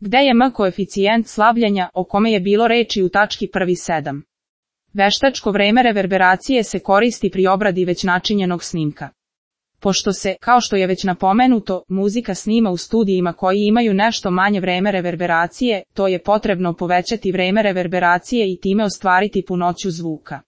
Gde je M koeficijent slavljenja, o kome je bilo reči u tački 1.7. Veštačko vreme reverberacije se koristi pri obradi već načinjenog snimka. Pošto se, kao što je već napomenuto, muzika snima u studijima koji imaju nešto manje vreme reverberacije, to je potrebno povećati vreme reverberacije i time ostvariti punoću zvuka.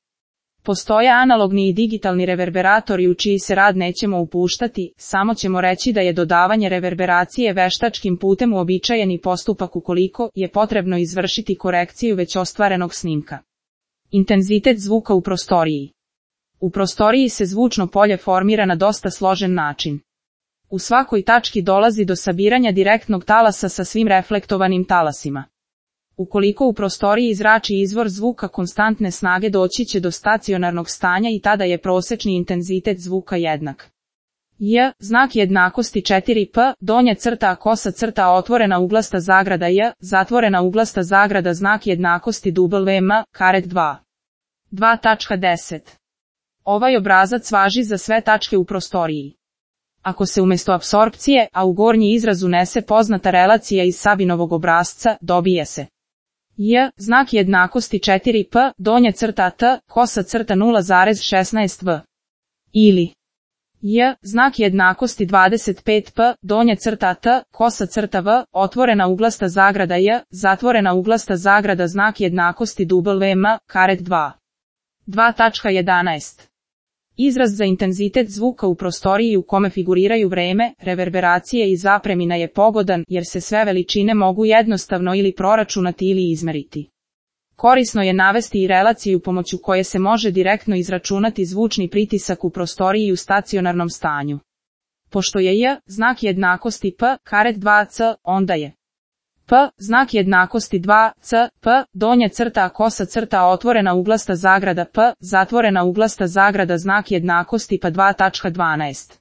Postoje analogni i digitalni reverberatori u čiji se rad nećemo upuštati, samo ćemo reći da je dodavanje reverberacije veštačkim putem uobičajeni postupak ukoliko je potrebno izvršiti korekciju već ostvarenog snimka. Intenzitet zvuka u prostoriji. U prostoriji se zvučno polje formira na dosta složen način. U svakoj tački dolazi do sabiranja direktnog talasa sa svim reflektovanim talasima. Ukoliko u prostoriji zrači izvor zvuka konstantne snage, doći će do stacionarnog stanja i tada je prosečni intenzitet zvuka jednak. J, znak jednakosti 4p, donja crta kosa crta otvorena uglasta zagrada J, zatvorena uglasta zagrada znak jednakosti WM, karet 2. 2.10. Ovaj obrazac važi za sve tačke u prostoriji. Ako se umjesto apsorpcije, a u gornji izraz unese poznata relacija iz Sabinovog obrasca, dobije se J, znak jednakosti 4p, donja crta t, kosa crta 0,16v. Ili J, znak jednakosti 25p, donja crta t, kosa crta v, otvorena uglasta zagrada J, zatvorena uglasta zagrada znak jednakosti WM, karet 2. 2.11. Izraz za intenzitet zvuka u prostoriji u kome figuriraju vreme, reverberacije i zapremina je pogodan jer se sve veličine mogu jednostavno ili proračunati ili izmeriti. Korisno je navesti i relaciju pomoću koje se može direktno izračunati zvučni pritisak u prostoriji u stacionarnom stanju. Pošto je J, znak jednakosti p, karet 2c, onda je P, znak jednakosti 2c, p, donja crta kosa crta otvorena uglasta zagrada p, zatvorena uglasta zagrada znak jednakosti pa 2.12.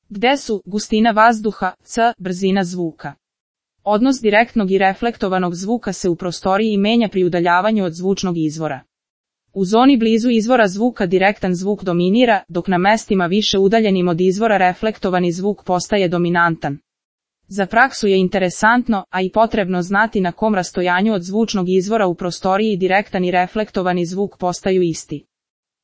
Gde su gustina vazduha, c, brzina zvuka. Odnos direktnog i reflektovanog zvuka se u prostoriji menja pri udaljavanju od zvučnog izvora. U zoni blizu izvora zvuka direktan zvuk dominira, dok na mestima više udaljenim od izvora reflektovani zvuk postaje dominantan. Za praksu je interesantno, a i potrebno znati na kom rastojanju od zvučnog izvora u prostoriji direktan i reflektovani zvuk postaju isti.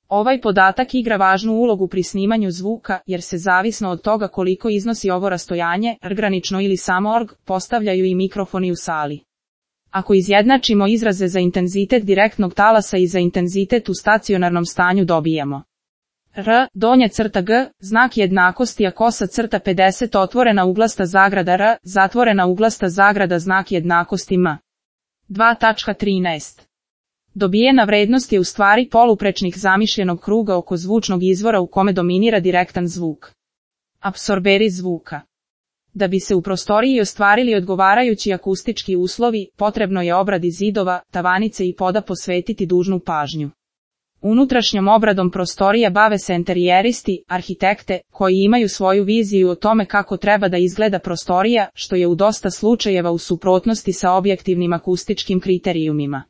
Ovaj podatak igra važnu ulogu pri snimanju zvuka, jer se zavisno od toga koliko iznosi ovo rastojanje, granično ili samo org, postavljaju i mikrofoni u sali. Ako izjednačimo izraze za intenzitet direktnog talasa i za intenzitet u stacionarnom stanju dobijamo R, donja crta G, znak jednakosti a kosa crta 50 otvorena uglasta zagrada R, zatvorena uglasta zagrada znak jednakosti M. 2.13. Dobijena vrednost je u stvari poluprečnik zamišljenog kruga oko zvučnog izvora u kome dominira direktan zvuk. Apsorberi zvuka. Da bi se u prostoriji ostvarili odgovarajući akustički uslovi, potrebno je obradi zidova, tavanice i poda posvetiti dužnu pažnju. Unutrašnjom obradom prostorija bave se enterijeristi, arhitekte, koji imaju svoju viziju o tome kako treba da izgleda prostorija, što je u dosta slučajeva u suprotnosti sa objektivnim akustičkim kriterijumima.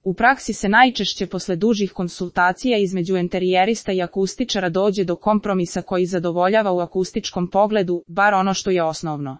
U praksi se najčešće posle dužih konsultacija između enterijerista i akustičara dođe do kompromisa koji zadovoljava u akustičkom pogledu, bar ono što je osnovno.